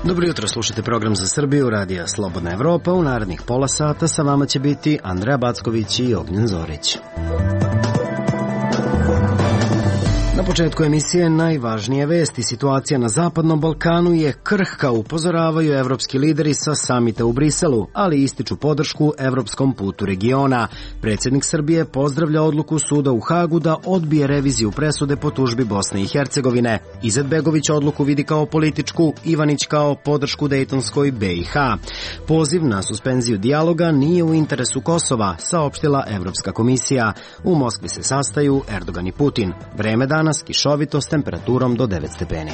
Dobro jutro, slušajte program za Srbiju, radija Slobodna Evropa. U narednih pola sata sa vama će biti Andreja Backović i Ognjen Zorić. Na početku emisije najvažnije vesti. Situacija na Zapadnom Balkanu je krhka, upozoravaju evropski lideri sa samita u Briselu, ali ističu podršku evropskom putu regiona. Predsjednik Srbije pozdravlja odluku suda u Hagu da odbije reviziju presude po tužbi Bosne i Hercegovine. Izetbegović odluku vidi kao političku, Ivanić kao podršku Dejtonskoj BiH. Poziv na suspenziju dijaloga nije u interesu Kosova, saopštila Evropska komisija. U Moskvi se sastaju Erdogan i Putin. Vreme danas kišovito s temperaturom do 9 stepeni.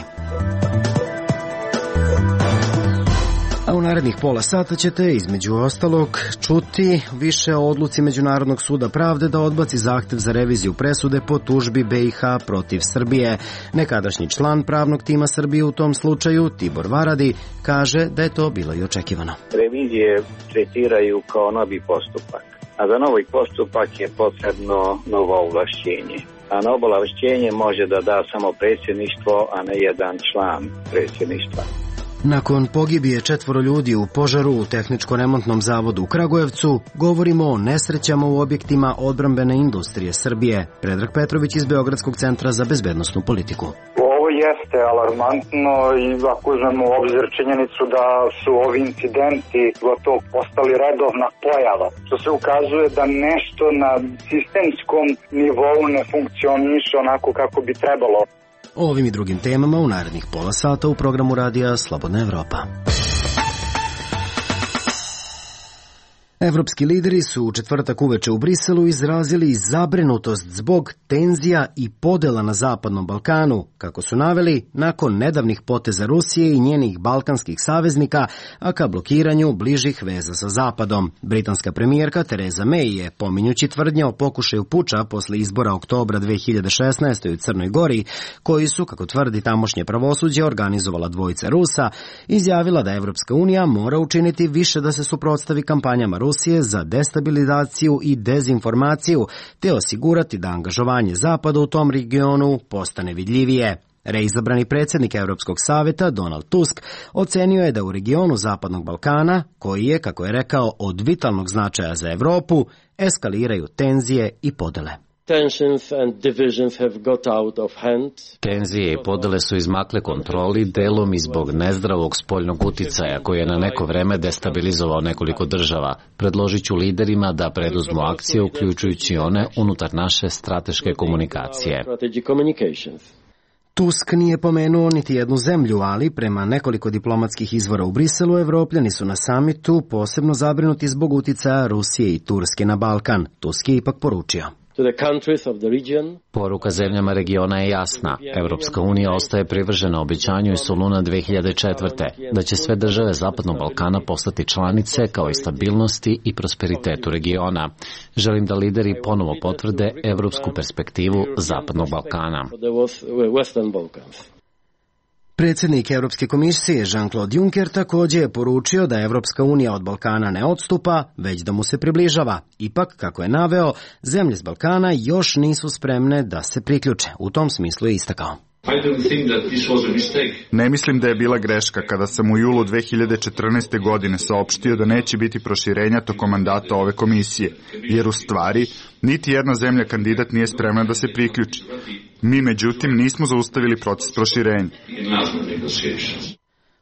A u narednih pola sata ćete, između ostalog, čuti više o odluci Međunarodnog suda pravde da odbaci zahtev za reviziju presude po tužbi BiH protiv Srbije. Nekadašnji član pravnog tima Srbije u tom slučaju, Tibor Varadi, kaže da je to bilo i očekivano. Revizije tretiraju kao novi postupak, a za novi postupak je potrebno novo ovlašćenje. A novo ovlašćenje može da da samo predsjedništvo, a ne jedan član predsjedništva. Nakon pogibije 4 ljudi u požaru u Tehničko-remontnom zavodu u Kragujevcu, govorimo o nesrećama u objektima odbrambene industrije Srbije. Predrag Petrović iz Beogradskog centra za bezbednosnu politiku. Ovo jeste alarmantno i ako uzmemo u obzir činjenicu da su ovi incidenti gotovo postali redovna pojava, što se ukazuje da nešto na sistemskom nivou ne funkcioniše onako kako bi trebalo. O ovim i drugim temama u narednih pola sata u programu radija Slobodna Evropa. Evropski lideri su u četvrtak uveče u Briselu izrazili zabrinutost zbog tenzija i podela na Zapadnom Balkanu, kako su naveli, nakon nedavnih poteza Rusije i njenih balkanskih saveznika, a ka blokiranju bližih veza sa Zapadom. Britanska premijerka Theresa May je, pominjući tvrdnje o pokušaju puča posle izbora oktobra 2016. u Crnoj Gori, koji su, kako tvrdi tamošnje pravosuđe, organizovala dvojica Rusa, izjavila da Evropska unija mora učiniti više da se suprotstavi kampanjama Rusije za destabilizaciju i dezinformaciju, te osigurati da angažovanje Zapada u tom regionu postane vidljivije. Reizabrani predsjednik Europskog saveta Donald Tusk ocenio je da u regionu Zapadnog Balkana, koji je, kako je rekao, od vitalnog značaja za Evropu, eskaliraju tenzije i podele. Tenzije i podele su izmakle kontroli, delom i zbog nezdravog spoljnog uticaja koji je na neko vreme destabilizovao nekoliko država. Predložit ću liderima da preduzmu akcije, uključujući one unutar naše strateške komunikacije. Tusk nije pomenuo niti jednu zemlju, ali prema nekoliko diplomatskih izvora u Briselu, Evropljani su na samitu posebno zabrinuti zbog uticaja Rusije i Turske na Balkan. Tusk je ipak poručio. Poruka zemljama regiona je jasna. Evropska unija ostaje privržena obećanju iz Soluna 2004. da će sve države Zapadnog Balkana postati članice kao i stabilnosti i prosperitetu regiona. Želim da lideri ponovo potvrde evropsku perspektivu Zapadnog Balkana. Predsjednik Europske komisije Jean-Claude Juncker također je poručio da Evropska unija od Balkana ne odstupa, već da mu se približava. Ipak, kako je naveo, zemlje s Balkana još nisu spremne da se priključe. U tom smislu je istakao. Ne mislim da je bila greška kada sam u julu 2014. godine saopštio da neće biti proširenja tokom mandata ove komisije, jer u stvari niti jedna zemlja kandidat nije spremna da se priključi. Mi, međutim, nismo zaustavili proces proširenja.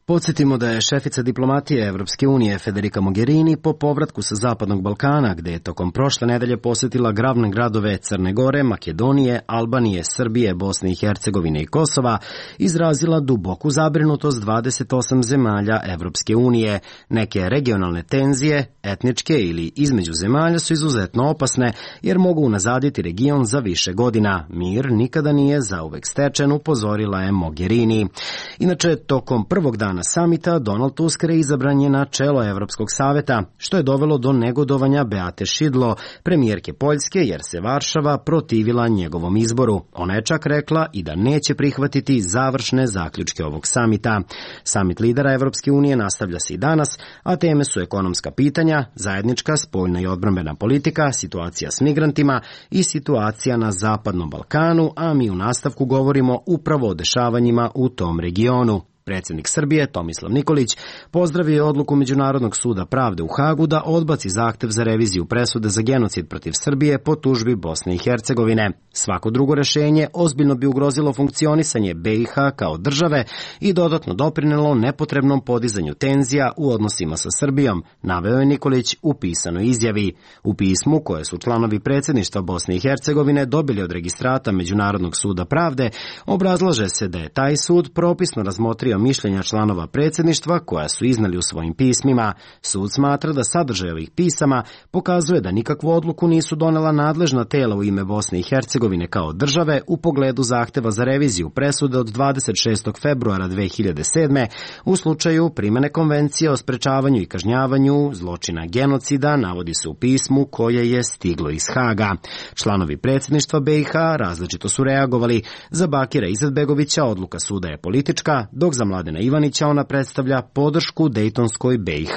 Podsjetimo da je šefica diplomatije Evropske unije Federica Mogherini po povratku sa Zapadnog Balkana, gde je tokom prošle nedelje posjetila glavne gradove Crne Gore, Makedonije, Albanije, Srbije, Bosne i Hercegovine i Kosova, izrazila duboku zabrinutost 28 zemalja Evropske unije. Neke regionalne tenzije, etničke ili između zemalja, su izuzetno opasne, jer mogu unazaditi region za više godina. Mir nikada nije zauvek stečen, upozorila je Mogherini. Inače, tokom prvog dana samita Donald Tusk reizabran je na čelo Evropskog saveta, što je dovelo do negodovanja Beate Šidlo, premijerke Poljske, jer se Varšava protivila njegovom izboru. Ona je čak rekla i da neće prihvatiti završne zaključke ovog samita. Samit lidera Evropske unije nastavlja se i danas, a teme su ekonomska pitanja, zajednička spoljna i odbrambena politika, situacija s migrantima i situacija na Zapadnom Balkanu, a mi u nastavku govorimo upravo o dešavanjima u tom regionu. Predsjednik Srbije, Tomislav Nikolić, pozdravio je odluku Međunarodnog suda pravde u Hagu da odbaci zahtev za reviziju presude za genocid protiv Srbije po tužbi Bosne i Hercegovine. Svako drugo rešenje ozbiljno bi ugrozilo funkcionisanje BiH kao države i dodatno doprinelo nepotrebnom podizanju tenzija u odnosima sa Srbijom, naveo je Nikolić u pisanoj izjavi. U pismu koje su članovi predsjedništva Bosne i Hercegovine dobili od registrata Međunarodnog suda pravde, obrazlaže se da je taj sud propisno razmotrio mišljenja članova predsjedništva koja su iznali u svojim pismima. Sud smatra da sadržaj ovih pisama pokazuje da nikakvu odluku nisu donela nadležna tela u ime Bosne i Hercegovine kao države u pogledu zahteva za reviziju presude od 26. februara 2007. u slučaju primene Konvencije o sprečavanju i kažnjavanju zločina genocida, navodi se u pismu koje je stiglo iz Haga. Članovi predsjedništva BiH različito su reagovali. Za Bakira Izetbegovića odluka suda je politička, dok za Mladena Ivanića ona predstavlja podršku Dejtonskoj BiH.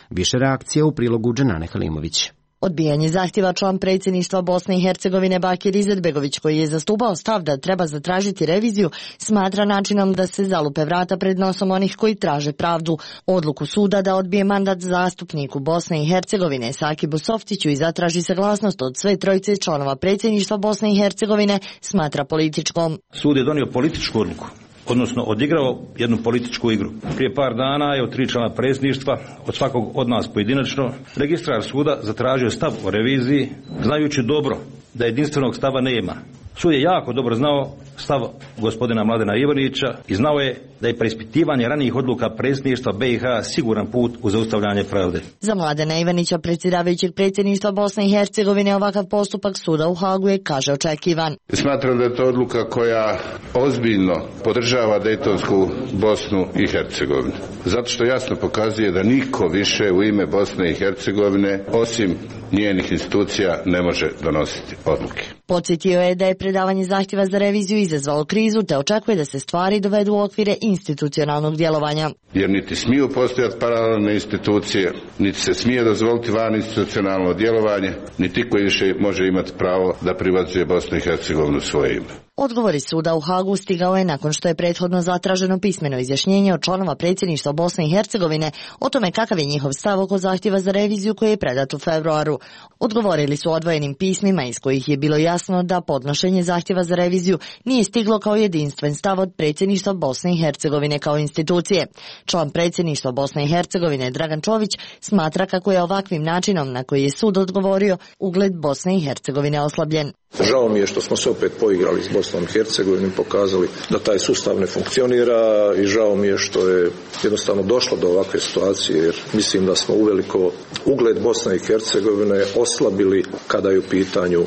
Više reakcije u prilogu Dženane Halimović. Odbijanje zahtjeva član predsjedništva Bosne i Hercegovine Bakir Izetbegović, koji je zastupao stav da treba zatražiti reviziju, smatra načinom da se zalupe vrata pred nosom onih koji traže pravdu. Odluku suda da odbije mandat zastupniku Bosne i Hercegovine Sakibu Softiću i zatraži saglasnost od sve trojice članova predsjedništva Bosne i Hercegovine smatra političkom. Sud je donio političku odluku, odnosno odigrao jednu političku igru. Prije par dana je od 3 člana predsjedništva, od svakog od nas pojedinačno, registrar suda zatražio stav o reviziji, znajući dobro da jedinstvenog stava nema. Sud je jako dobro znao stav gospodina Mladena Ivanića i znao je da je preispitivanje ranijih odluka predsjedništva BiH siguran put u zaustavljanje pravde. Za Mladena Ivanića, predsjedavajućeg predsjedništva Bosne i Hercegovine, ovakav postupak suda u Hagu je, kaže, očekivan. Smatram da je to odluka koja ozbiljno podržava Dejtonsku Bosnu i Hercegovinu. Zato što jasno pokazuje da niko više u ime Bosne i Hercegovine, osim njenih institucija, ne može donositi odluke. Podsjetio je da je predavanje zahtjeva za reviziju izazvalo krizu, te očekuje da se stvari dovedu u okvire institucionalnog djelovanja. Jer niti smiju postojati paralelne institucije, niti se smije dozvoliti van institucionalno djelovanje, niti koji više može imati pravo da privatizacuje Bosnu i Hercegovinu svoje ime. Odgovor iz suda u Hagu stigao je nakon što je prethodno zatraženo pismeno izjašnjenje od članova predsjedništva Bosne i Hercegovine o tome kakav je njihov stav oko zahtjeva za reviziju koji je predat u februaru. Odgovorili su odvojenim pismima iz kojih je bilo jasno da podnošenje zahtjeva za reviziju nije stiglo kao jedinstven stav od predsjedništva Bosne i Hercegovine kao institucije. Član predsjedništva Bosne i Hercegovine Dragan Čović smatra kako je ovakvim načinom na koji je sud odgovorio ugled Bosne i Hercegovine oslabljen. Žao mi je što smo se opet poigrali s Bosnom i Hercegovinom, pokazali da taj sustav ne funkcionira i žao mi je što je jednostavno došlo do ovakve situacije, jer mislim da smo uveliko ugled Bosne i Hercegovine oslabili kada je u pitanju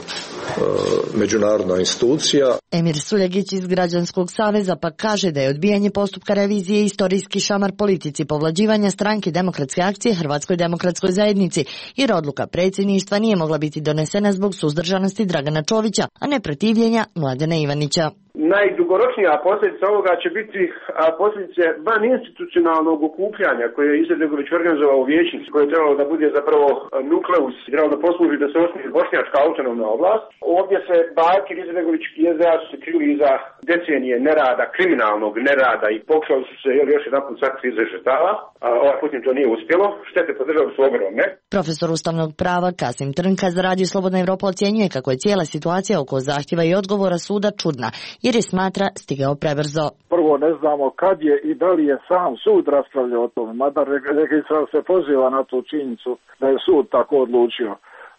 međunarodna institucija. Emir Suljegić iz Građanskog saveza pa kaže da je odbijanje postupka revizije istorijski šamar politici povlađivanja Stranke demokratske akcije Hrvatskoj demokratskoj zajednici, jer odluka predsjedništva nije mogla biti donesena zbog suzdržanosti Dragana Čovića, a ne protivljenja Mladena Ivanića. Najdugoročnija posljedica ovoga će biti posljedice van institucionalnog okupljanja koje je Izetbegović organizovao u vijećnici, koje je trebalo da bude zapravo nukleus, trebalo da posluži da se osnuje bošnjačka autonomna oblast. Ovdje se Bakir Izetbegović i SDA su se krili iza decenije nerada, kriminalnog nerada i pokušali su se još jedan put sakriti iza žrtava. Ovaj put im to nije uspjelo, štete po državu su ogromne. Profesor ustavnog prava Kasim Trnka za Radio Slobodna Evropa ocjenjuje kako je cijela situacija oko zahtjeva i odgovora suda čudna, jer je smatra stigao prebrzo. Prvo ne znamo kad je i da li je sam sud raspravljao o tome, mada registrar se poziva na tu činjenicu da je sud tako odlučio.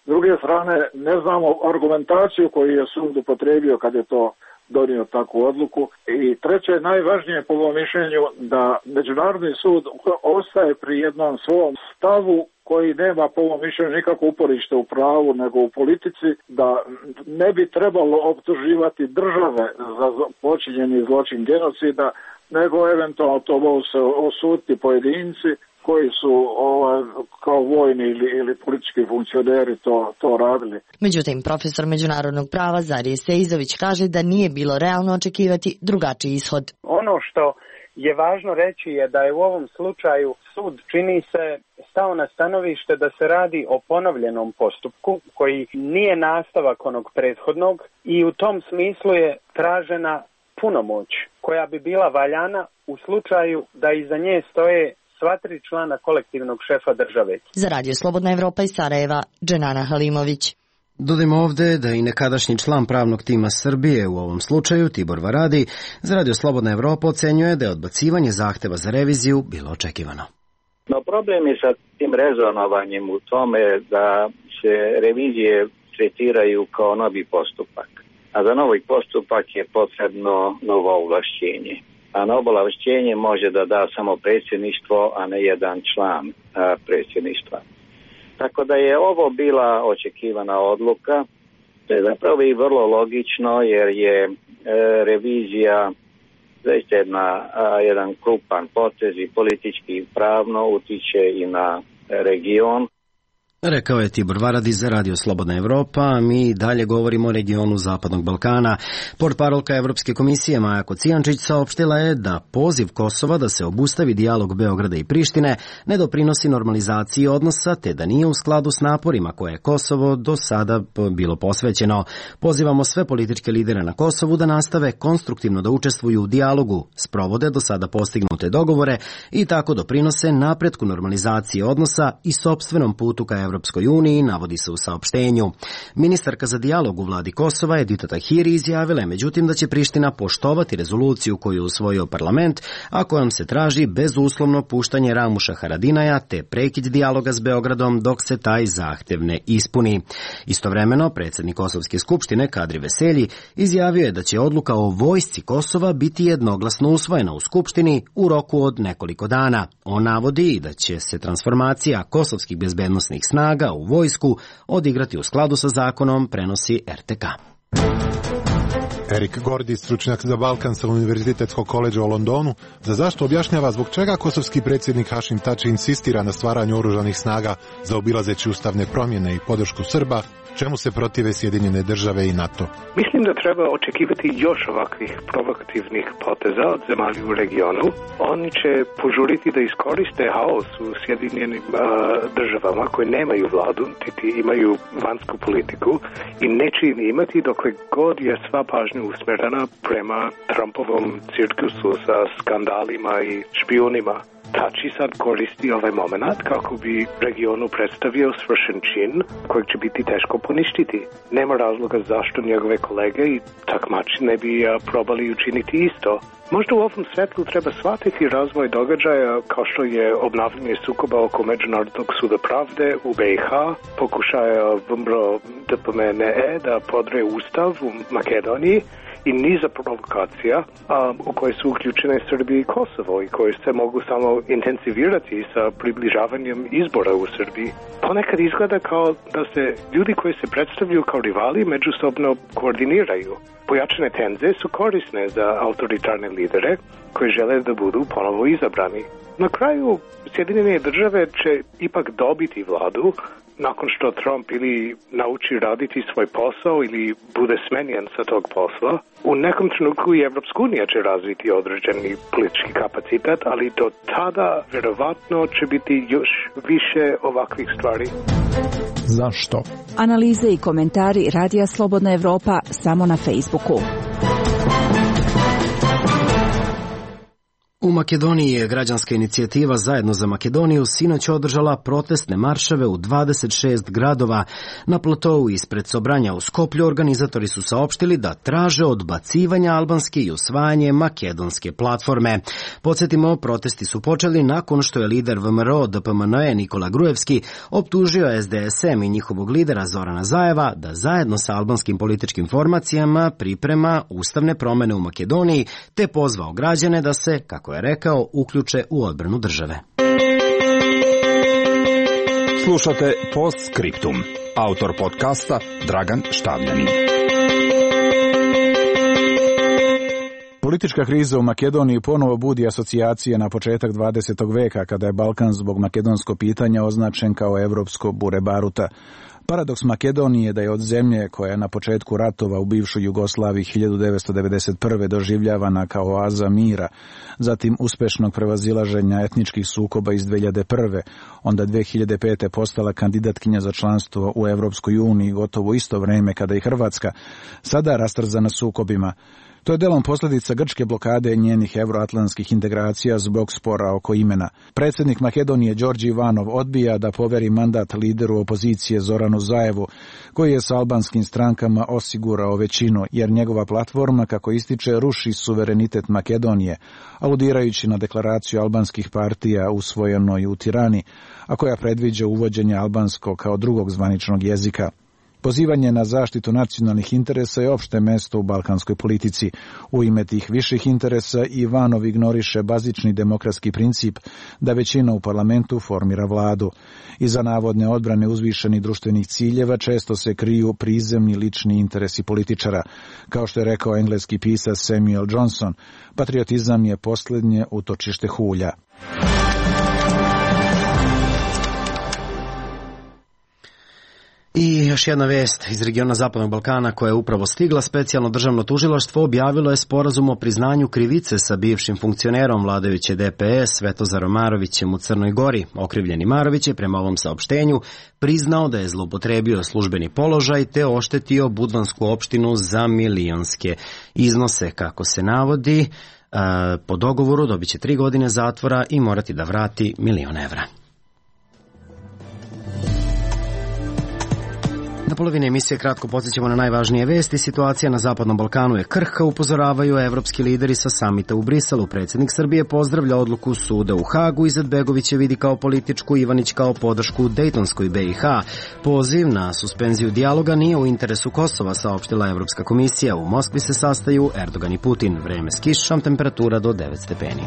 S druge strane, ne znamo argumentaciju koju je sud upotrijebio kad je to donio takvu odluku. I treće, najvažnije po mom mišljenju da Međunarodni sud ostaje pri jednom svom stavu koji nema po mom mišljenju nikako uporište u pravu nego u politici, da ne bi trebalo optuživati države za počinjeni zločin genocida, nego eventualno to mogu se osuditi pojedinci koji su kao vojni ili politički funkcioneri to radili. Međutim, profesor međunarodnog prava Zarije Seizović kaže da nije bilo realno očekivati drugačiji ishod. Ono što je važno reći je da je u ovom slučaju sud, čini se, stao na stanovište da se radi o ponovljenom postupku koji nije nastavak onog prethodnog i u tom smislu je tražena punomoć koja bi bila valjana u slučaju da iza nje stoje sva 3 člana kolektivnog šefa države. Za Radio Slobodna Evropa iz Sarajeva, Dženana Halimović. Dodajmo ovde da i nekadašnji član pravnog tima Srbije, u ovom slučaju Tibor Varadi, za Radio Slobodna Evropa ocenjuje da je odbacivanje zahteva za reviziju bilo očekivano. No problem je sa tim rezonovanjem u tome da se revizije tretiraju kao novi postupak. A za novi postupak je potrebno novo ovlašćenje. A novo ovlašćenje može da da samo predsjedništvo, a ne jedan član predsjedništva. Tako da je ovo bila očekivana odluka. To je zapravo i vrlo logično jer je revizija zaista jedan krupan potez i politički i pravno utiče i na region. Rekao je Tibor Varadi za Radio Slobodna Evropa, a mi dalje govorimo o regionu Zapadnog Balkana. Portparolka Evropske komisije Maja Kocijančić saopštila je da poziv Kosova da se obustavi dijalog Beograda i Prištine ne doprinosi normalizaciji odnosa, te da nije u skladu s naporima koje je Kosovo do sada bilo posvećeno. Pozivamo sve političke lidere na Kosovu da nastave konstruktivno da učestvuju u dijalogu, sprovode do sada postignute dogovore i tako doprinose napretku normalizacije odnosa i sopstvenom putu ka Evropskoj uniji, navodi se u saopštenju. Ministarka za dijalog u vladi Kosova Edita Tahiri izjavila je međutim da će Priština poštovati rezoluciju koju je usvojio parlament, a kojom se traži bezuslovno puštanje Ramuša Haradinaja te prekid dijaloga s Beogradom dok se taj zahtev ne ispuni. Istovremeno, predsjednik Kosovske skupštine Kadri Veselji izjavio je da će odluka o vojsci Kosova biti jednoglasno usvojena u skupštini u roku od nekoliko dana. On navodi i da će se transformacija kosovskih bezbednosnih snaga u vojsku odigrati u skladu sa zakonom, prenosi RTK. Erik Gordi, stručnjak za Balkan sa Univerzitetskog koledža u Londonu, za zašto objašnjava zbog čega kosovski predsjednik Hašim Tači insistira na stvaranju oružanih snaga zaobilazeći ustavne promjene i podršku Srba, čemu se protive Sjedinjene države i NATO. Mislim da treba očekivati još ovakvih provokativnih poteza od zemalja u regionu. Oni će požuriti da iskoriste haos u Sjedinjenim državama koje nemaju vladu, niti imaju vanjsku politiku i neće im imati dokle god je sva pažnja usmjerena prema Trumpovom cirkusu sa skandalima i špijunima. Tači sad koristi ovaj moment kako bi regionu predstavio svršen čin kojeg će biti teško poništiti. Nema razloga zašto njegove kolege i takmači ne bi probali učiniti isto. Možda u ovom svetlu treba shvatiti razvoj događaja kao što je obnavljanje sukoba oko Međunarodnog suda pravde u BiH, pokušaja VMRO DPMNE da podre ustav u Makedoniji i niza provokacija u koje su uključene Srbije i Kosovo i koje se mogu samo intenzivirati sa približavanjem izbora u Srbiji. Ponekad izgleda kao da se ljudi koji se predstavljaju kao rivali međusobno koordiniraju. Pojačane tenze su korisne za autoritarne lidere koji žele da budu ponovo izabrani. Na kraju, Sjedinjene države će ipak dobiti vladu nakon što Trump ili nauči raditi svoj posao ili bude smenjen sa tog posla. U nekom trenutku i Evropska unija će razviti određeni politički kapacitet, ali do tada vjerovatno će biti još više ovakvih stvari. Zašto? Analize i komentari Radija Slobodna Evropa samo na Facebooku. U Makedoniji je građanska inicijativa Zajedno za Makedoniju sinoć održala protestne marševe u 26 gradova. Na platou ispred Sobranja u Skoplju organizatori su saopštili da traže odbacivanje albanske i usvajanje makedonske platforme. Podsjetimo, protesti su počeli nakon što je lider VMRO DPMNE Nikola Grujevski optužio SDSM i njihovog lidera Zorana Zajeva da zajedno sa albanskim političkim formacijama priprema ustavne promjene u Makedoniji, te pozvao građane da se, kako je rekao, uključe u odbranu države. Slušate Postscriptum. Autor podcasta Dragan Štavljanin. Politička kriza u Makedoniji ponovo budi asocijacije na početak 20. veka, kada je Balkan zbog makedonskog pitanja označen kao evropsko bure baruta. Paradoks Makedonije je da je od zemlje koja je na početku ratova u bivšoj Jugoslaviji 1991. doživljavana kao oaza mira, zatim uspešnog prevazilaženja etničkih sukoba iz 2001. onda 2005. postala kandidatkinja za članstvo u Evropskoj uniji gotovo isto vreme kada i Hrvatska, sada rastrzana sukobima. To je delom posljedica grčke blokade njenih euroatlantskih integracija zbog spora oko imena. Predsjednik Makedonije Đorđe Ivanov odbija da poveri mandat lideru opozicije Zoranu Zaevu, koji je s albanskim strankama osigurao većinu, jer njegova platforma, kako ističe, ruši suverenitet Makedonije, aludirajući na deklaraciju albanskih partija usvojenoj u Tirani, a koja predviđa uvođenje albanskog kao drugog zvaničnog jezika. Pozivanje na zaštitu nacionalnih interesa je opšte mesto u balkanskoj politici. U ime tih viših interesa Ivanov ignoriše bazični demokratski princip da većina u parlamentu formira vladu. Iza navodne odbrane uzvišenih društvenih ciljeva često se kriju prizemni lični interesi političara. Kao što je rekao engleski pisac Samuel Johnson, patriotizam je posljednje utočište hulja. I još jedna vest iz regiona Zapadnog Balkana koja je upravo stigla. Specijalno državno tužilaštvo objavilo je sporazum o priznanju krivice sa bivšim funkcionerom vladajuće DPS Svetozarom Marovićem u Crnoj Gori. Okrivljeni Marović je prema ovom saopštenju priznao da je zloupotrebio službeni položaj te oštetio budvansku opštinu za milionske iznose. Kako se navodi, po dogovoru dobit će 3 godine zatvora i morati da vrati 1.000.000 evra. Na polovini emisije kratko podsjećamo na najvažnije vesti. Situacija na Zapadnom Balkanu je krhka, upozoravaju evropski lideri sa samita u Briselu. Predsjednik Srbije pozdravlja odluku suda u Hagu, Izetbegović je vidi kao političku, Ivanić kao podršku Dejtonskoj BiH. Poziv na suspenziju dijaloga nije u interesu Kosova, saopštila Evropska komisija. U Moskvi se sastaju Erdogan i Putin. Vreme s kišom, temperatura do 9 stepeni.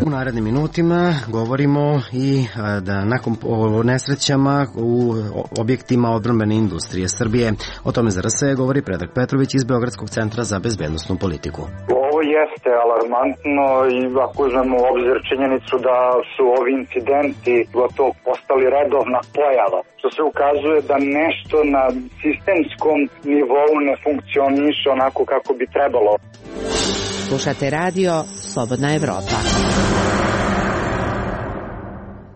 U narednim minutima govorimo i da nakon nesrećama u objektima odbrambene industrije Srbije. O tome za RS govori Predrag Petrović iz Beogradskog centra za bezbednosnu politiku. Ovo jeste alarmantno i ako uzmemo u obzir činjenicu da su ovi incidenti gotovo postali redovna pojava, što se ukazuje da nešto na sistemskom nivou ne funkcioniše onako kako bi trebalo. Slušate radio Slobodna Evropa.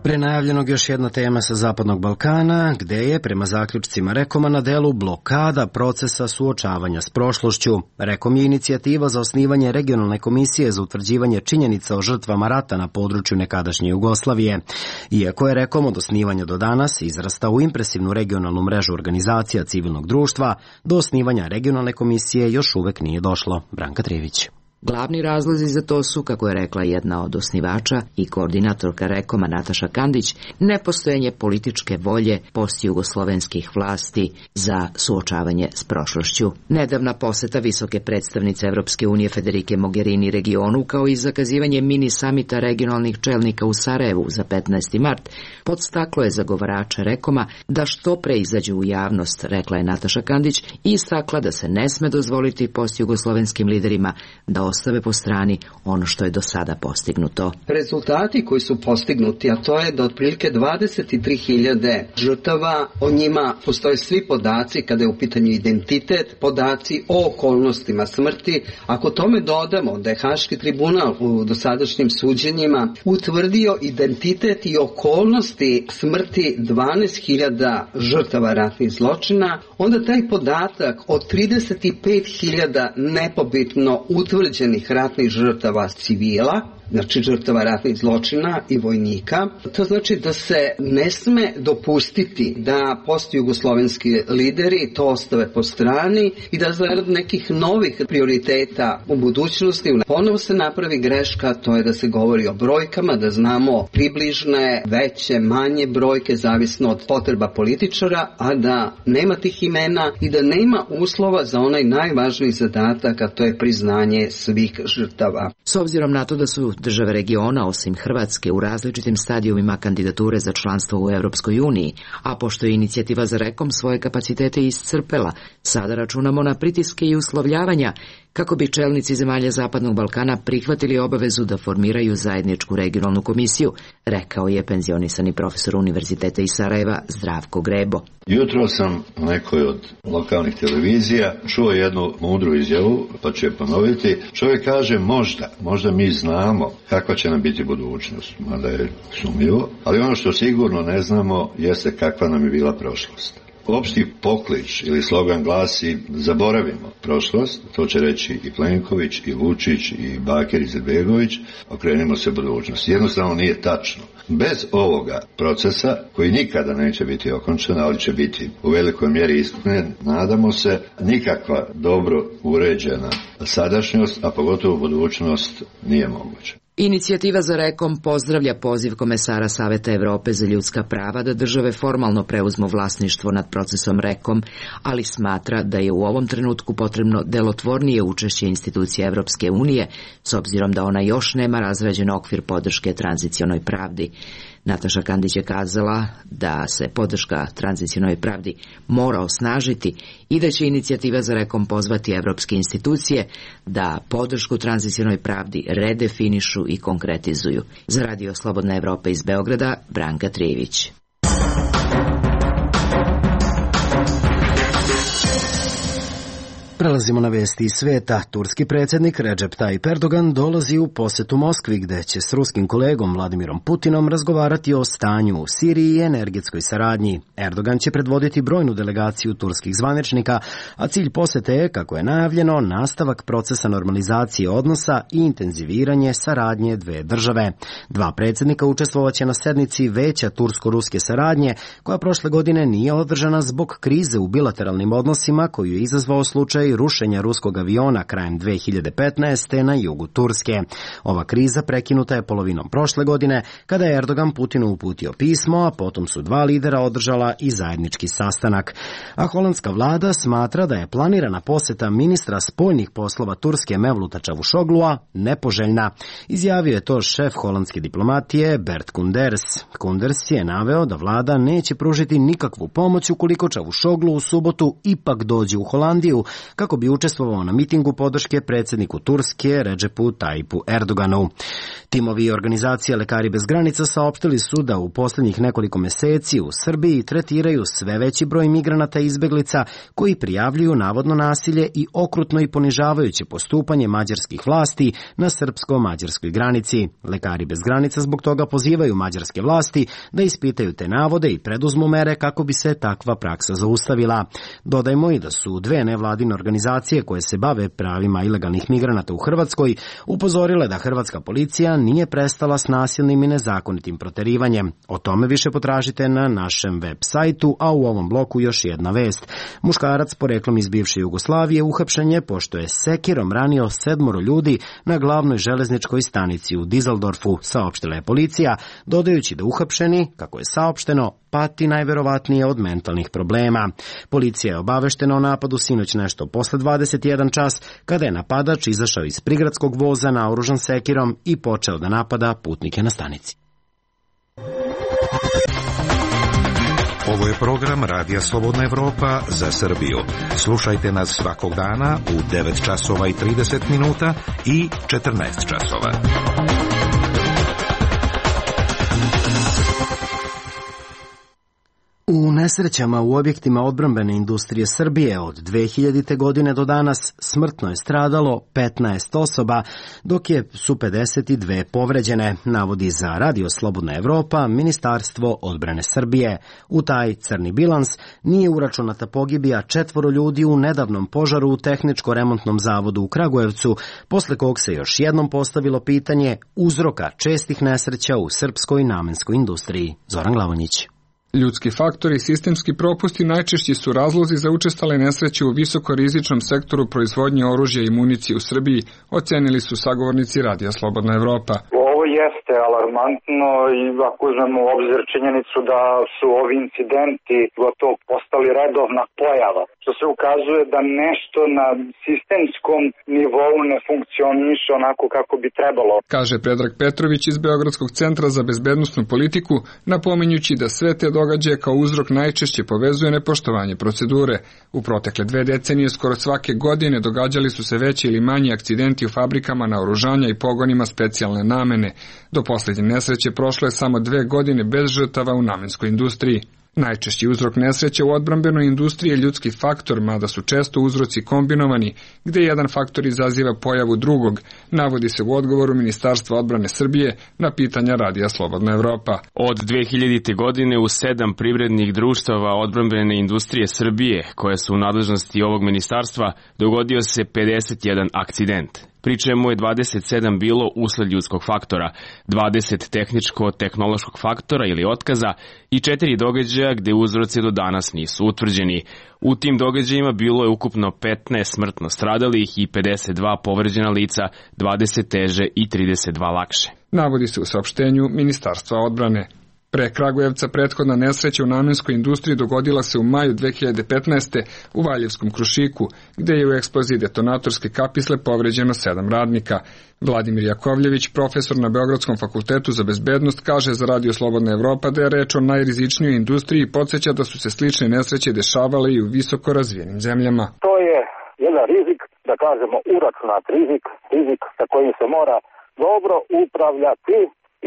Pre najavljenog još jedna tema sa Zapadnog Balkana, gde je, prema zaključcima Rekoma, na delu blokada procesa suočavanja s prošlošću. Rekom je inicijativa za osnivanje regionalne komisije za utvrđivanje činjenica o žrtvama rata na području nekadašnje Jugoslavije. Iako je Rekom od osnivanja do danas izrastao u impresivnu regionalnu mrežu organizacija civilnog društva, do osnivanja regionalne komisije još uvek nije došlo. Branka Trivić. Glavni razlozi za to su, kako je rekla jedna od osnivača i koordinatorka Rekoma Nataša Kandić, nepostojanje političke volje postjugoslovenskih vlasti za suočavanje s prošlošću. Nedavna poseta visoke predstavnice Evropske unije Federike Mogherini regionu, kao i zakazivanje mini samita regionalnih čelnika u Sarajevu za 15. mart, podstaklo je zagovarača Rekoma da što pre izađu u javnost, rekla je Nataša Kandić, i istakla da se ne sme dozvoliti postjugoslovenskim liderima da ostave po strani ono što je do sada postignuto. Rezultati koji su postignuti, a to je da otprilike 23.000 žrtava, o njima postoje svi podaci kada je u pitanju identitet, podaci o okolnostima smrti. Ako tome dodamo da je Haški tribunal u dosadašnjim suđenjima utvrdio identitet i okolnosti smrti 12.000 žrtava ratnih zločina, onda taj podatak od 35.000 nepobitno utvrđenih ratnih žrtava civila, znači žrtava ratnih zločina i vojnika. To znači da se ne sme dopustiti da postjugoslovenski lideri to ostave po strani i da zarad nekih novih prioriteta u budućnosti ponovo se napravi greška, to je da se govori o brojkama, da znamo približne, veće, manje brojke, zavisno od potreba političara, a da nema tih imena i da nema uslova za onaj najvažniji zadatak, a to je priznanje svih žrtava. S obzirom na to da su države regiona, osim Hrvatske, u različitim stadijumima kandidature za članstvo u Evropskoj uniji, a pošto je inicijativa za Rekom svoje kapacitete iscrpela, sada računamo na pritiske i uslovljavanja kako bi čelnici zemalja Zapadnog Balkana prihvatili obavezu da formiraju zajedničku regionalnu komisiju, rekao je penzionisani profesor Univerziteta iz Sarajeva Zdravko Grebo. Jutro sam u nekoj od lokalnih televizija čuo jednu mudru izjavu, pa ću je ponoviti. Čovjek kaže možda mi znamo kakva će nam biti budućnost, mada je sumnjivo, ali ono što sigurno ne znamo jeste kakva nam je bila prošlost. Opšti poklič ili slogan glasi zaboravimo prošlost, to će reći i Plenković, i Vučić, i Bakir Izetbegović, okrenimo se budućnosti. Jednostavno nije tačno. Bez ovoga procesa, koji nikada neće biti okončan, ali će biti u velikoj mjeri ispunjen, nadamo se, nikakva dobro uređena sadašnjost, a pogotovo budućnost, nije moguća. Inicijativa za Rekom pozdravlja poziv komesara Saveta Evrope za ljudska prava da države formalno preuzmu vlasništvo nad procesom Rekom, ali smatra da je u ovom trenutku potrebno delotvornije učešće institucija Evropske unije, s obzirom da ona još nema razrađen okvir podrške tranzicionoj pravdi. Nataša Kandić je kazala da se podrška tranzicionoj pravdi mora osnažiti i da će inicijativa za Rekom pozvati evropske institucije da podršku tranzicionoj pravdi redefinišu i konkretizuju. Za Radio Slobodna Evropa iz Beograda, Branka Trijević. Prelazimo na vesti iz sveta. Turski predsjednik Recep Tayyip Erdogan dolazi u posetu Moskvi gde će s ruskim kolegom Vladimirom Putinom razgovarati o stanju u Siriji i energetskoj saradnji. Erdogan će predvoditi brojnu delegaciju turskih zvaničnika, a cilj posete je, kako je najavljeno, nastavak procesa normalizacije odnosa i intenziviranje saradnje dve države. Dva predsjednika učestvovaće na sednici Veća tursko-ruske saradnje, koja prošle godine nije održana zbog krize u bilateralnim odnosima koju je izazvao slučaj rušenja ruskog aviona krajem 2015. na jugu Turske. Ova kriza prekinuta je polovinom prošle godine, kada je Erdogan Putinu uputio pismo, a potom su dva lidera održala i zajednički sastanak. A holandska vlada smatra da je planirana poseta ministra spoljnih poslova Turske Mevluta Čavuşoglua nepoželjna. Izjavio je to šef holandske diplomatije Bert Koenders. Koenders je naveo da vlada neće pružiti nikakvu pomoć ukoliko Čavuşoglu u subotu ipak dođe u Holandiju, kako bi učestvovao na mitingu podrške predsjedniku Turske Recepu Tayyipu Erdoganu. Timovi i organizacije Lekari bez granica saopštili su da u posljednjih nekoliko meseci u Srbiji tretiraju sve veći broj migranata i izbeglica koji prijavljuju navodno nasilje i okrutno i ponižavajuće postupanje mađarskih vlasti na srpsko-mađarskoj granici. Lekari bez granica zbog toga pozivaju mađarske vlasti da ispitaju te navode i preduzmu mere kako bi se takva praksa zaustavila. Dodajmo i da su dve nevladine organizacije koje se bave pravima ilegalnih migranata u Hrvatskoj upozorile da hrvatska policija nije prestala s nasilnim i nezakonitim proterivanjem. O tome više potražite na našem web sajtu, a u ovom bloku još jedna vest. Muškarac poreklom iz bivše Jugoslavije uhapšen je pošto je sekirom ranio 7 ljudi na glavnoj železničkoj stanici u Dizeldorfu, saopštila je policija, dodajući da uhapšeni, kako je saopšteno, pati najverovatnije od mentalnih problema. Policija je obaveštena o napadu sinoć nešto posle 21 čas, kada je napadač izašao iz prigradskog voza naoružan sekirom i počeo da napada putnike na stanici. Ovo je program Radija Slobodna Evropa za Srbiju. Slušajte nas svakog dana u 9 časova i 30 minuta i 14 časova. U nesrećama u objektima odbrambene industrije Srbije od 2000. godine do danas smrtno je stradalo 15 osoba, dok su 52 povređene, navodi za Radio Slobodna Evropa Ministarstvo odbrane Srbije. U taj crni bilans nije uračunata pogibija 4 ljudi u nedavnom požaru u Tehničko-remontnom zavodu u Kragujevcu, posle kog se još jednom postavilo pitanje uzroka čestih nesreća u srpskoj namenskoj industriji. Zoran Glavonjić. Ljudski faktori i sistemski propusti najčešći su razlozi za učestale nesreće u visokorizičnom sektoru proizvodnje oružja i municije u Srbiji, ocenili su sagovornici Radija Slobodna Evropa. Ovo jeste alarmantno i ako uzmemo u obzir činjenicu da su ovi incidenti gotovo postali redovna pojava, što se ukazuje da nešto na sistemskom nivou ne funkcioniše onako kako bi trebalo. Kaže Predrag Petrović iz Beogradskog centra za bezbednosnu politiku, napominjući da sve te događaje kao uzrok najčešće povezuje nepoštovanje procedure. U protekle 2 decenije skoro svake godine događali su se veći ili manji akcidenti u fabrikama naoružanja i pogonima specijalne namene. Do posljednje nesreće prošlo je samo 2 godine bez žrtava u namenskoj industriji. Najčešći uzrok nesreće u odbrambenoj industriji je ljudski faktor, mada su često uzroci kombinovani, gde jedan faktor izaziva pojavu drugog, navodi se u odgovoru Ministarstva odbrane Srbije na pitanja Radija Slobodna Evropa. Od 2000. godine u 7 privrednih društava odbrambene industrije Srbije, koje su u nadležnosti ovog ministarstva, dogodio se 51 akcident, pri čemu je 27 bilo usled ljudskog faktora, 20 tehničko-tehnološkog faktora ili otkaza i 4 događaja gde uzroci do danas nisu utvrđeni. U tim događajima bilo je ukupno 15 smrtno stradalih i 52 povređena lica, 20 teže i 32 lakše. Navodi se u saopštenju Ministarstva odbrane. Pre Kragujevca prethodna nesreća u namenskoj industriji dogodila se u maju 2015. u Valjevskom Krušiku, gde je u eksploziji detonatorske kapisle povređeno 7 radnika. Vladimir Jakovljević, profesor na Beogradskom fakultetu za bezbednost, kaže za Radio Slobodna Evropa da je reč o najrizičnijoj industriji i podsjeća da su se slične nesreće dešavale i u visoko razvijenim zemljama. To je jedan rizik, da kažemo uračunat rizik sa kojim se mora dobro upravljati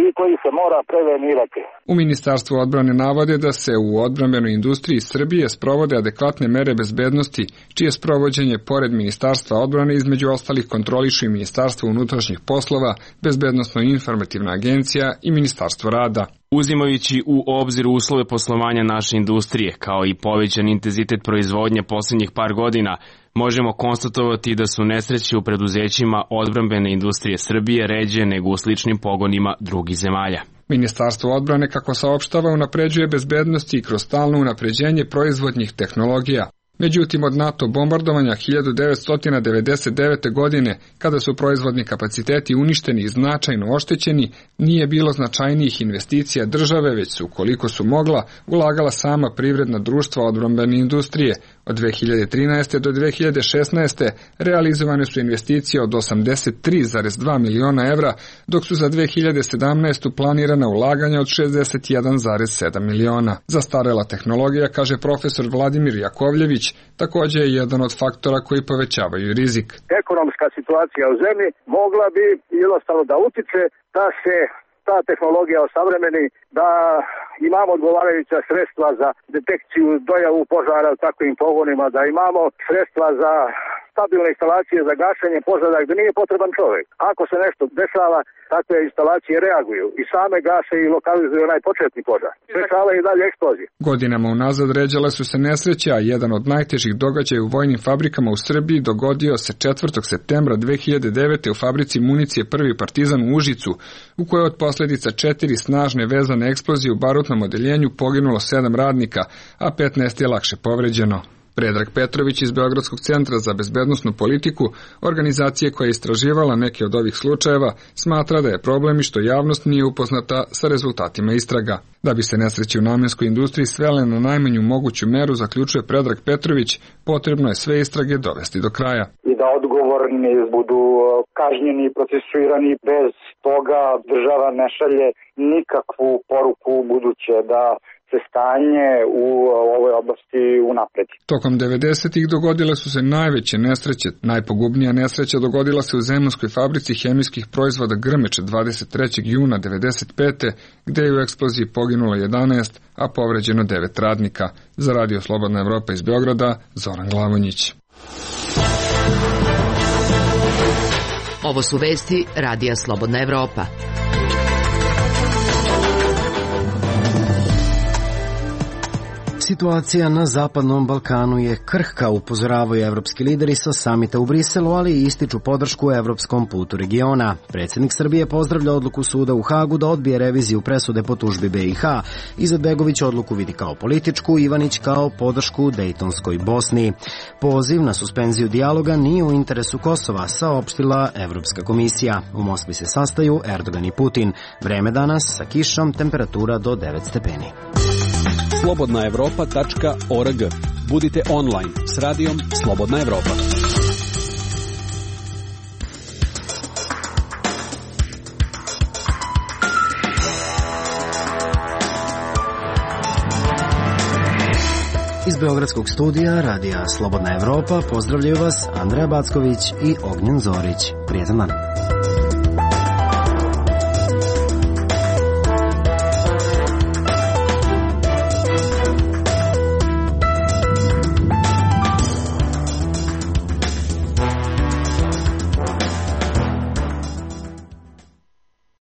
i koji se mora prevenirati. U Ministarstvu odbrane navode da se u odbrambenoj industriji Srbije sprovode adekvatne mere bezbednosti, čije sprovođenje pored Ministarstva odbrane između ostalih kontrolišu i Ministarstvo unutrašnjih poslova, Bezbednosno-informativna agencija i Ministarstvo rada. Uzimajući u obzir uslove poslovanja naše industrije, kao i povećan intenzitet proizvodnje posljednjih par godina, možemo konstatovati da su nesreće u preduzećima odbrambene industrije Srbije ređe nego u sličnim pogonima drugih zemalja. Ministarstvo odbrane, kako saopštava, unapređuje bezbednost i kroz stalno unapređenje proizvodnih tehnologija. Međutim, od NATO bombardovanja 1999. godine, kada su proizvodni kapaciteti uništeni i značajno oštećeni, nije bilo značajnijih investicija države, već su, koliko su mogla, ulagala sama privredna društva odbrambene industrije. Od 2013. do 2016. realizovane su investicije od 83,2 miliona evra, dok su za 2017. planirana ulaganja od 61,7 miliona. Zastarela tehnologija, kaže profesor Vladimir Jakovljević, također je jedan od faktora koji povećavaju rizik. Ekonomska situacija u zemlji mogla bi jednostavno da utiče da se ta tehnologija osavremeni, da imamo odgovarajuća sredstva za detekciju, dojavu požara u takvim pogonima, da imamo sredstva za stabilne instalacije za gašenje požara gdje nije potreban čovjek. Ako se nešto dešava, takve instalacije reaguju i same gase i lokalizuju onaj početni požar. Dešava i dalje eksplozije. Godinama unazad ređale su se nesreće, a jedan od najtežih događaja u vojnim fabrikama u Srbiji dogodio se 4. septembra 2009. u fabrici municije Prvi Partizan u Užicu, u kojoj od posljedica 4 snažne vezane eksplozije u barutnom odeljenju poginulo 7 radnika, a 15 je lakše povređeno. Predrag Petrović iz Beogradskog centra za bezbednosnu politiku, organizacije koja je istraživala neke od ovih slučajeva, smatra da je problem i što javnost nije upoznata sa rezultatima istraga. Da bi se nesreće u namenskoj industriji svele na najmanju moguću meru, zaključuje Predrag Petrović, potrebno je sve istrage dovesti do kraja. I da odgovorni budu kažnjeni i procesuirani, bez toga država ne šalje nikakvu poruku buduće da se stanje u ovoj oblasti unapredi. Tokom 90-ih dogodile su se najveće nesreće. Najpogubnija nesreća dogodila se u zemunskoj fabrici hemijskih proizvoda Grmeč 23. juna 95. gde je u eksploziji poginulo 11, a povređeno 9 radnika. Za Radio Slobodna Evropa iz Beograda, Zoran Glavonjić. Ovo su vesti Radija Slobodna Evropa. Situacija na Zapadnom Balkanu je krhka, upozoravaju evropski lideri sa samita u Briselu, ali i ističu podršku evropskom putu regiona. Predsjednik Srbije pozdravlja odluku suda u Hagu da odbije reviziju presude po tužbi BiH. Izetbegović odluku vidi kao političku, Ivanić kao podršku Dejtonskoj Bosni. Poziv na suspenziju dijaloga nije u interesu Kosova, saopštila Evropska komisija. U Moskvi se sastaju Erdogan i Putin. Vreme danas sa kišom, temperatura do 9 stepeni. slobodnaevropa.org. Budite online s radijom Slobodna Evropa. Iz Beogradskog studija Radija Slobodna Evropa pozdravljaju vas Andreja Backović i Ognjen Zorić. Prijetan dan.